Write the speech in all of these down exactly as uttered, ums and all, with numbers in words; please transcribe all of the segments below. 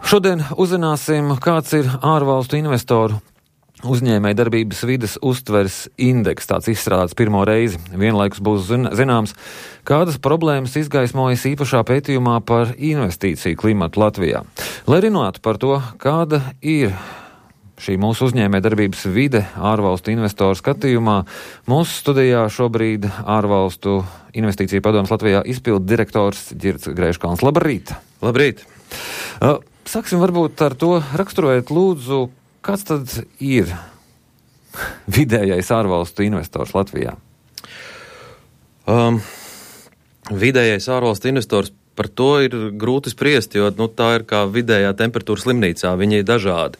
Šodien uzzināsim, kāds ir ārvalstu investoru uzņēmēja darbības vides uztveres indeks. Tāds izstrādāts pirmo reizi. Vienlaikus būs zināms, kādas problēmas izgaismojas īpašā pētījumā par investīciju klimatu Latvijā. Lai runātu par to, kāda ir šī mūsu uzņēmēja darbības vide ārvalstu investoru skatījumā, mūsu studijā šobrīd ārvalstu investīciju padomes Latvijā izpildu direktors Ģirds Greiškalns. Labrīt! Labrīt! Uh, Sāksim varbūt ar to, raksturojot lūdzu, kāds tad ir vidējais ārvalstu investors Latvijā? Um, vidējais ārvalstu investors, par to ir grūti spriest, jo nu, tā ir kā vidējā temperatūra slimnīcā, viņi ir dažādi.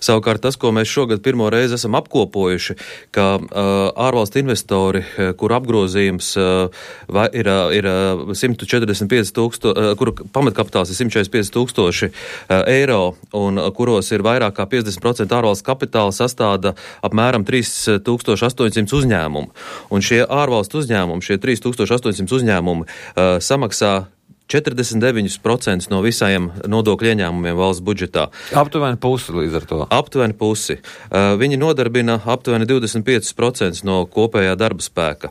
Savukārt tas, ko mēs šogad pirmo reizi esam apkopojuši, ka uh, ārvalstu investori, kuru apgrozījums uh, ir, ir uh, simt četrdesmit pieci tūkstoši, uh, kuru pamatkapitāls ir simt četrdesmit pieci tūkstoši uh, eiro, un uh, kuros ir vairāk kā piecdesmit procenti ārvalstu kapitāla, sastāda apmēram trīs tūkstoši astoņsimt uzņēmumu. Un šie ārvalstu uzņēmumi, šie trīs tūkstoši astoņsimt uzņēmumi uh, samaksā četrdesmit deviņi procenti no visiem nodokļu ieņēmumiem valsts budžetā. Aptuveni pusi līdz ar to. Aptuveni pusi. Uh, viņi nodarbina aptuveni divdesmit pieci procenti no kopējā darba spēka.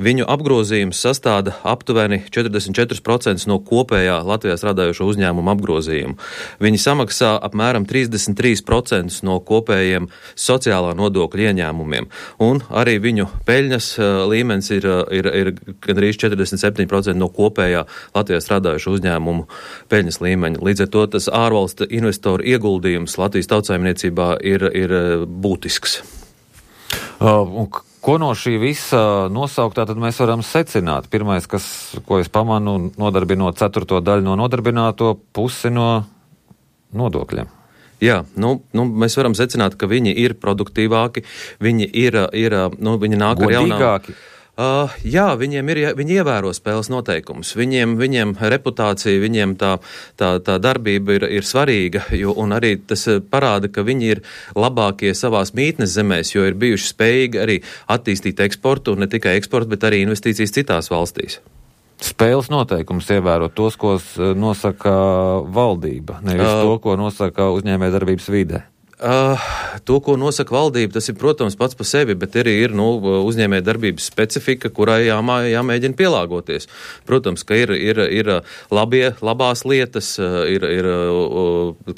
Viņu apgrozījums sastāda aptuveni četrdesmit četri procenti no kopējā Latvijā strādājošo uzņēmumu apgrozījumu. Viņi samaksā apmēram trīsdesmit trīs procenti no kopējiem sociālā nodokļu ieņēmumiem. Un arī viņu peļņas uh, līmenis ir, ir, ir gandrīz četrdesmit septiņi procenti no kopējā Latvijā strādājošo strādājušu uzņēmumu peļņas līmeņa. Līdz ar to tas ārvalstu investoru ieguldījums Latvijas tautsaimniecībā ir, ir būtisks. Uh, un ko no šī visa nosauktā tad mēs varam secināt? Pirmais, kas, ko es pamanu, nodarbinot ceturto daļu no nodarbināto pusi no nodokļiem. Jā, nu, nu, mēs varam secināt, ka viņi ir produktīvāki, viņi ir, ir nu, viņi nāk ar jaunām... Godīgāki. Uh, jā, viņiem ir, viņi ievēro spēles noteikumus. Viņiem, viņiem reputācija, viņiem tā, tā, tā darbība ir, ir svarīga, jo, un arī tas parāda, ka viņi ir labākie savās mītnes zemēs, jo ir bijuši spējīgi arī attīstīt eksportu, un ne tikai eksportu, bet arī investīcijas citās valstīs. Spēles noteikumus ievērot tos, ko nosaka valdība, nevis uh, to, ko nosaka uzņēmējdarbības vide. Uh, to, ko nosaka valdība, tas ir, protams, pats pa sevi, bet arī ir nu, uzņēmēja darbības specifika, kurai jāmā, jāmēģina pielāgoties. Protams, ka ir, ir, ir labie, labās lietas, ir, ir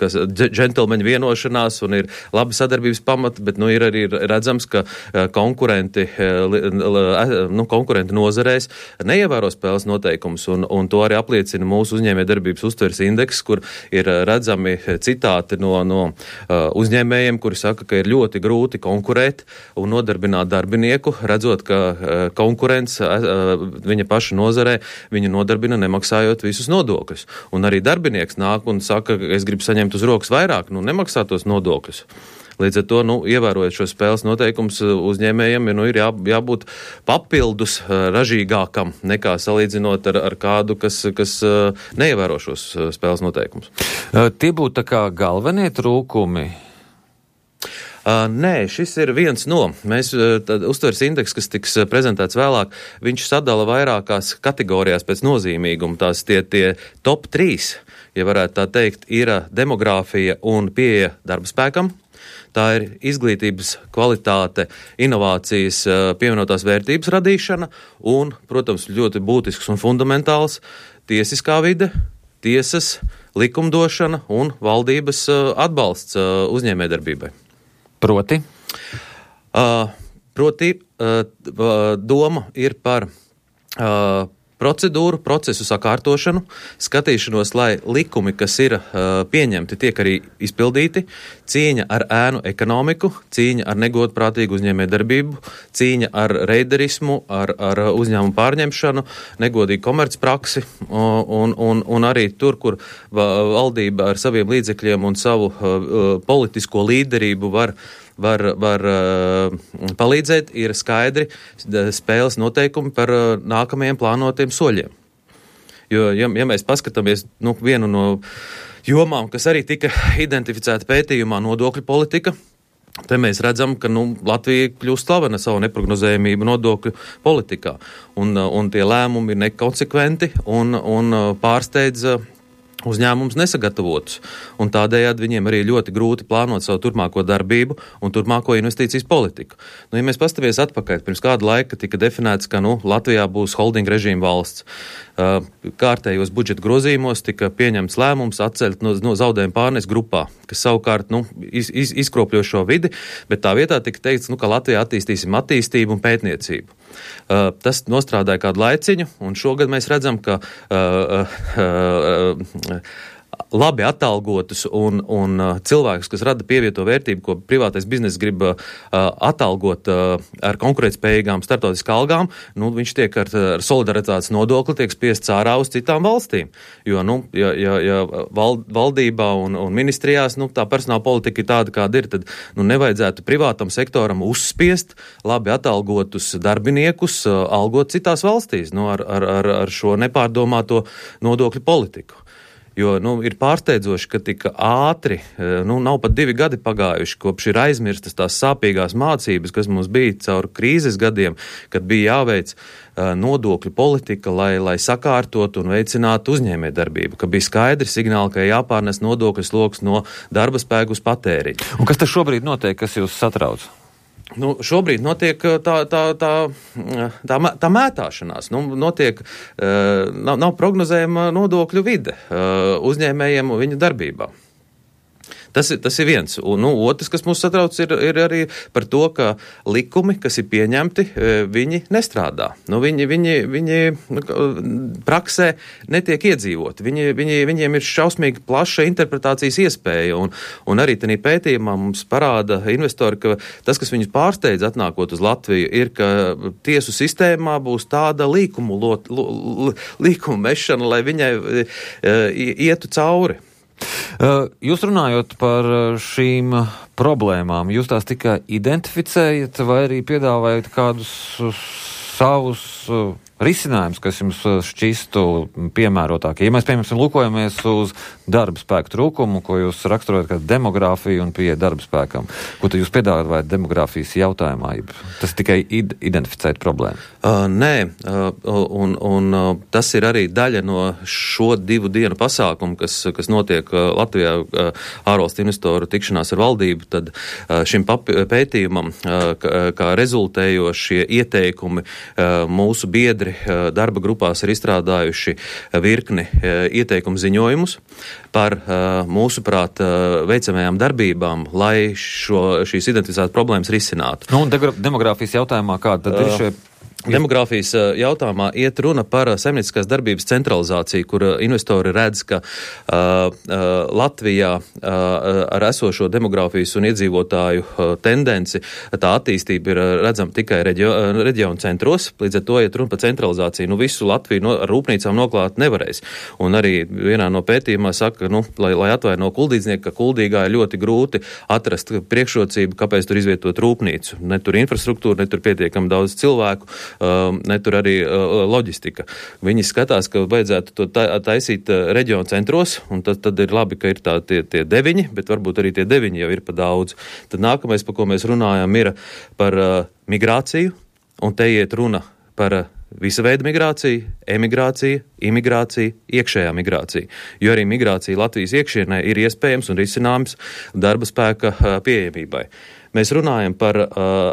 kas, džentelmeņa vienošanās un ir labi sadarbības pamati, bet nu, ir arī redzams, ka konkurenti, nu, konkurenti nozarēs neievēro spēles noteikumus, un, un to arī apliecina mūsu uzņēmēja darbības uztveres indeks, kur ir redzami citāti no, no uzņēmēja uzņēmējiem, kuri saka, ka ir ļoti grūti konkurēt un nodarbināt darbinieku, redzot, ka konkurence viņa paša nozarē viņu nodarbina nemaksājot visus nodokļus. Un arī darbinieks nāk un saka, ka es gribu saņemt uz rokas vairāk, nu nemaksā tos nodokļus. Līdz ar to, nu, ievērojot šo spēles noteikumus, uzņēmējiem nu, ir jā, jābūt papildus ražīgākam nekā salīdzinot ar, ar kādu, kas, kas neievēro šos spēles noteikumus. Tie būtu tā kā galvenie trūkumi? Uh, nē, šis ir viens no. Mēs, tad, uztveres indeks, kas tiks prezentēts vēlāk, viņš sadala vairākās kategorijās pēc nozīmīguma. Tās tie, tie top trīs, ja varētu tā teikt, ir demogrāfija un pieeja darba spēkam. Tā ir izglītības kvalitāte, inovācijas, pievienotās vērtības radīšana un, protams, ļoti būtisks un fundamentāls tiesiskā vide, tiesas, likumdošana un valdības atbalsts uzņēmējdarbībai. Proti? Uh, proti, uh, doma ir par uh, procedūru, procesu sakārtošanu, skatīšanos, lai likumi, kas ir uh, pieņemti, tiek arī izpildīti, cīņa ar ēnu ekonomiku, cīņa ar negodprātīgu uzņēmējdarbību, cīņa ar reiderismu, ar, ar uzņēmumu pārņemšanu, negodīgu komercpraksi un, un, un arī tur, kur valdība ar saviem līdzekļiem un savu uh, politisko līderību var var, var uh, palīdzēt, ir skaidri spēles noteikumi par uh, nākamajiem plānotiem soļiem. Jo, ja, ja mēs paskatāmies nu, vienu no jomām, kas arī tika identificēta pētījumā, nodokļu politika, te mēs redzam, ka nu, Latvija kļūst slavena savu neprognozējumību nodokļu politikā. Un, un tie lēmumi ir nekonsekventi un, un pārsteidz uzņēmums nesagatavotus, un tādējādi viņiem arī ļoti grūti plānot savu turpmāko darbību un turpmāko investīcijas politiku. Nu, ja mēs pastamies atpakaļ, pirms kāda laika tika definēts, ka nu, Latvijā būs holding režīma valsts. Uh, kārtējos budžeta grozījumos tika pieņemts lēmums atcelt no, no zaudējuma pārnes grupā, kas savukārt nu, iz, iz, izkropļo šo vidi, bet tā vietā tika teikts, nu, ka Latvijā attīstīsim attīstību un pētniecību. Uh, tas nostrādāja kādu laiciņu, un šogad mēs redzam, ka uh, uh, uh, labi atalgotus un, un uh, cilvēkus, kas rada pievieto vērtību, ko privātais bizness grib uh, atalgot uh, ar konkurētspējīgām starptautiskām algām, nu, viņš tiek ar, ar solidaritātes nodokli tiek spiests ārā uz citām valstīm. Jo, nu, ja, ja, ja val, valdībā un, un ministrijās, nu, tā personāla politika ir tāda, kāda ir, tad, nu, nevajadzētu privātam sektoram uzspiest labi atalgotus darbiniekus, uh, algot citās valstīs, nu, ar, ar, ar, ar šo nepārdomāto nodokļu politiku. Jo, nu, ir pārsteidzoši, ka tik ātri, nu, nav pat divi gadi pagājuši, kopš ir aizmirstas tās sāpīgās mācības, kas mums bija caur krīzes gadiem, kad bija jāveic uh, nodokļu politika, lai, lai sakārtot un veicinātu uzņēmējdarbību, ka bija skaidri signāli, ka jāpārnes nodokļu sloks no darba spēku uz patēriņu. Un kas tas šobrīd notiek, kas jūs satrauc? Nu, šobrīd notiek tā, tā, tā, tā, tā mētāšanās. Nu, notiek, nav, nav prognozējama nodokļu vide uzņēmējiem un viņu darbībā. Tas ir, tas ir viens. Un, nu, otrs, kas mūs satrauc, ir, ir arī par to, ka likumi, kas ir pieņemti, viņi nestrādā. Nu, viņi, viņi, viņi praksē netiek iedzīvoti. Viņi, viņi, viņiem ir šausmīgi plaša interpretācijas iespēja. Un, un arī tādā pētījumā mums parāda investori, ka tas, kas viņus pārsteidz atnākot uz Latviju, ir, ka tiesu sistēmā būs tāda līkumu, lot, lo, līkumu mešana, lai viņai ietu cauri. Jūs runājot par šīm problēmām, jūs tās tikai identificējat vai arī piedāvājat kādus savus risinājumus, kas jums šķistu piemērotākie? Ja mēs, piemēram, lūkojamies uz darba spēku trūkumu, ko jūs raksturojat kā demogrāfiju un pieeja darba spēkam, ko tad jūs piedāvājat demogrāfijas jautājumā? Tas tikai id- identificēt problēmu? Uh, nē, uh, un, un uh, tas ir arī daļa no šo divu dienu pasākumu, kas, kas notiek uh, Latvijā uh, ārvalstu investoru tikšanās ar valdību, tad uh, šim papi- pētījumam, uh, kā, kā rezultējošie ieteikumi uh, mūsu biedri darba grupās ir izstrādājuši virkni ieteikumu ziņojumus par mūsuprāt veicamajām darbībām, lai šo, šīs identificētas problēmas risinātu. Nu, un demogrāfijas jautājumā kāda tad ir šie? Demogrāfijas jautājumā iet runa par saimnieciskās darbības centralizāciju, kur investori redz, ka uh, uh, Latvijā uh, ar esošo demogrāfijas un iedzīvotāju uh, tendenci tā attīstība ir redzama tikai reģio, uh, reģionu centros, līdz ar to iet runa par centralizāciju. Nu, visu Latviju no, ar rūpnīcām noklāt nevarēs. Un arī vienā no pētījumā saka, nu, lai, lai atvaino kuldīdznieku, ka Kuldīgā ir ļoti grūti atrast priekšrocību, kāpēc tur izvietot rūpnīcu. Ne tur infrastruktūra, ne tur pietiekami daudz cilvēku. Uh, ne tur arī uh, loģistika. Viņi skatās, ka vajadzētu to ta- taisīt uh, reģionu centros, un tad, tad ir labi, ka ir tā, tie, tie deviņi, bet varbūt arī tie deviņi jau ir pa daudz. Tad nākamais, par ko mēs runājam, ir par uh, migrāciju, un te iet runa par uh, visa veida migrāciju, emigrācija, imigrācija, iekšējā migrācija. Jo arī migrācija Latvijas iekšienē ir iespējams un risināms darba spēka uh, pieejamībai. Mēs runājam par uh,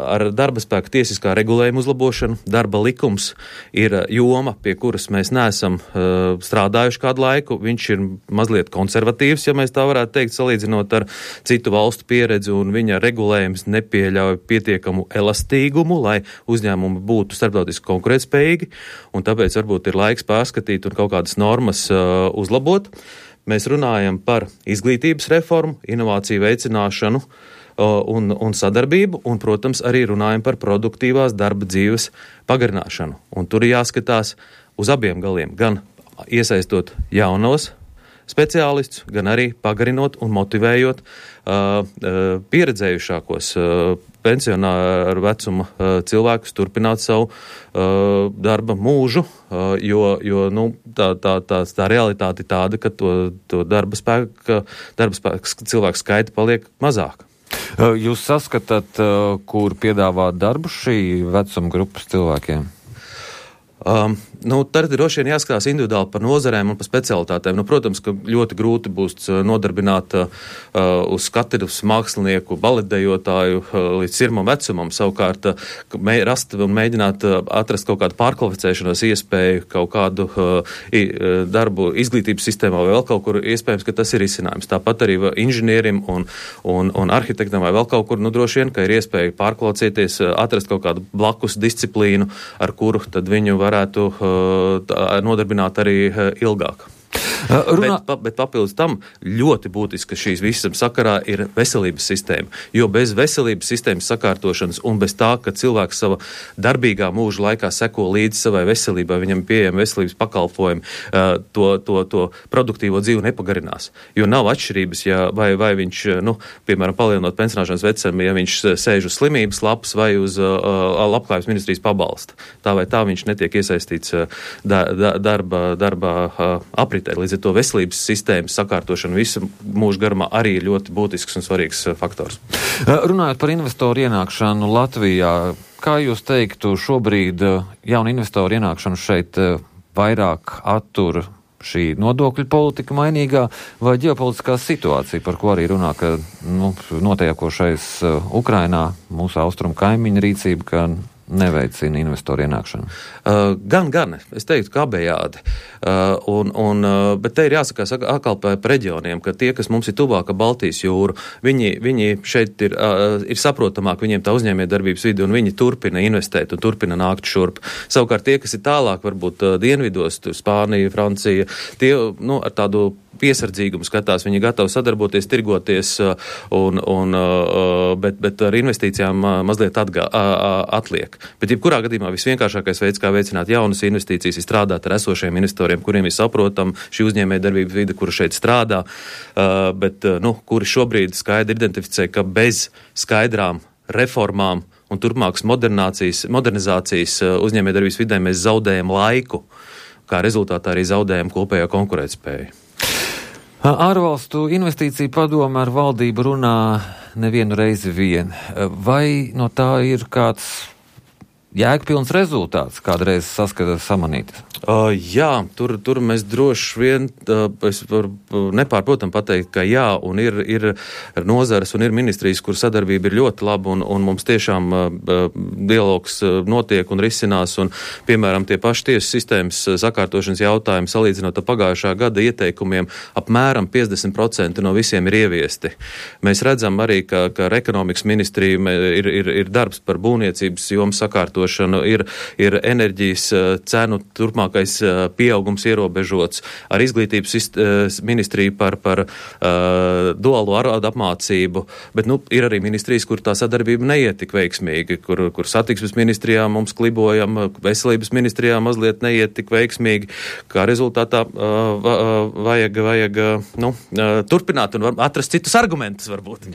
ar darba spēku tiesiskā regulējuma uzlabošanu. Darba likums ir joma, pie kuras mēs neesam uh, strādājuši kādu laiku. Viņš ir mazliet konservatīvs, ja mēs tā varētu teikt, salīdzinot ar citu valstu pieredzi, un viņa regulējums nepieļauj pietiekamu elastīgumu, lai uzņēmumi būtu starptautiski konkurētspējīgi, un tāpēc varbūt ir laiks pārskatīt un kaut kādas normas uh, uzlabot. Mēs runājam par izglītības reformu, inovāciju veicināšanu, Un, un sadarbību, un, protams, arī runājam par produktīvās darba dzīves pagarināšanu. Un tur ir jāskatās uz abiem galiem, gan iesaistot jaunos speciālistus, gan arī pagarinot un motivējot uh, uh, pieredzējušākos uh, pensionāru vecuma uh, cilvēkus turpināt savu uh, darba mūžu, uh, jo, jo nu, tā, tā, tā, tā realitāte ir tāda, ka to, to darba spēka, darba spēka cilvēku skaita paliek mazāk. Jūs saskatāt, kur piedāvā darbu šī vecuma grupas cilvēkiem? Um, nu, tad droši vien jāskatās individuāli par nozarēm un par specialitātēm. Nu, protams, ka ļoti grūti būs nodarbināt uh, uz katedras mākslinieku, baletdejotāju uh, līdz sirmam vecumam, savukārt uh, mē, rast un mēģināt uh, atrast kaut kādu pārkvalificēšanos iespēju, kaut kādu uh, i, uh, darbu izglītības sistēmā vai vēl kaut kur, iespējams, ka tas ir izcinājums. Tāpat arī inženierim un, un, un arhitektam vai vēl kaut kur, nu, droši vien, ka ir iespēja pārkvalificēties, uh, atrast kaut kādu blakus disciplīnu, ar kuru tad viņu varētu uh, nodarbināt arī uh, ilgāk. Uh, runā... bet, bet papildus tam ļoti būtiski šīs visam sakarā ir veselības sistēma, jo bez veselības sistēmas sakārtošanas un bez tā, ka cilvēks sava darbīgā mūža laikā seko līdzi savai veselībai, viņam pieejami veselības pakalpojumi, uh, to, to, to produktīvo dzīvi nepagarinās. Jo nav atšķirības, ja vai, vai viņš, nu, piemēram, palielinot pensionāšanas vecumu, ja viņš sēž uz slimības lapas vai uz uh, labklājības ministrijas pabalsta. Tā vai tā viņš netiek iesaistīts uh, da, da, darba, darba uh, apritē. Līdz ar to veselības sistēmas sakārtošana visu mūžu garumā arī ir ļoti būtisks un svarīgs faktors. Runājot par investoru ienākšanu Latvijā, kā jūs teiktu, šobrīd jauna investoru ienākšanu šeit vairāk attur šī nodokļu politika mainīgā vai ģeopolitiskā situācija, par ko arī runā, ka nu, notiekošais Ukrainā, mūsu austrumu kaimiņu rīcība, ka neveicina investoru ienākšanu? Uh, gan, gan. Es teiktu, ka abejādi. Uh, un, un, uh, bet te ir jāsakās atkal par reģioniem, ka tie, kas mums ir tuvāka Baltijas jūru, viņi, viņi šeit ir, uh, ir saprotamāk, viņiem tā uzņēmējdarbības vidi, un viņi turpina investēt un turpina nākt šurp. Savukārt tie, kas ir tālāk, varbūt uh, dienvidos, Spānija, Francija, tie, nu, ar tādu piesardzīgumu skatās, viņi gatavi sadarboties, tirgoties, un, un, bet, bet ar investīcijām mazliet atgā, atliek. Bet jebkurā gadījumā visvienkāršākais veids, kā veicināt jaunas investīcijas, ir strādāt ar esošiem investoriem, kuriem ir saprotam šī uzņēmējdarbības vide, kura šeit strādā, bet, nu, kuri šobrīd skaidri identificē, ka bez skaidrām reformām un turpmākas modernizācijas uzņēmējdarbības vidē mēs zaudējam laiku, kā rezultātā arī zaudējam kopējo konkurētspēju. Ārvalstu investīciju padome ar valdību runā nevienu reizi vien. Vai no tā ir kāds jēgpilns rezultāts, kādreiz saskata samanītas? Uh, jā, tur, tur mēs droši vien, uh, es varu nepārprotam pateikt, ka jā, un ir, ir nozares un ir ministrijas, kur sadarbība ir ļoti laba, un, un mums tiešām uh, dialogs uh, notiek un risinās, un, piemēram, tie paši tiesu sistēmas sakārtošanas jautājumi, salīdzinot ar pagājušā gada ieteikumiem, apmēram piecdesmit procenti no visiem ir ieviesti. Mēs redzam arī, ka, ka ar ekonomikas ministriju ir, ir, ir darbs par būvniecības jomu sakārtošanu, ir, ir enerģijas cenu turpmāk pieaugums ierobežots, ar izglītības ministriju par, par uh, duālo ārādu apmācību, bet, nu, ir arī ministrijas, kur tā sadarbība neiet tik veiksmīgi, kur, kur satiksmes ministrijā mums klibojam, veselības ministrijā mazliet neiet tik veiksmīgi, kā rezultātā uh, vajag, vajag uh, nu, uh, turpināt un atrast citus argumentus varbūt.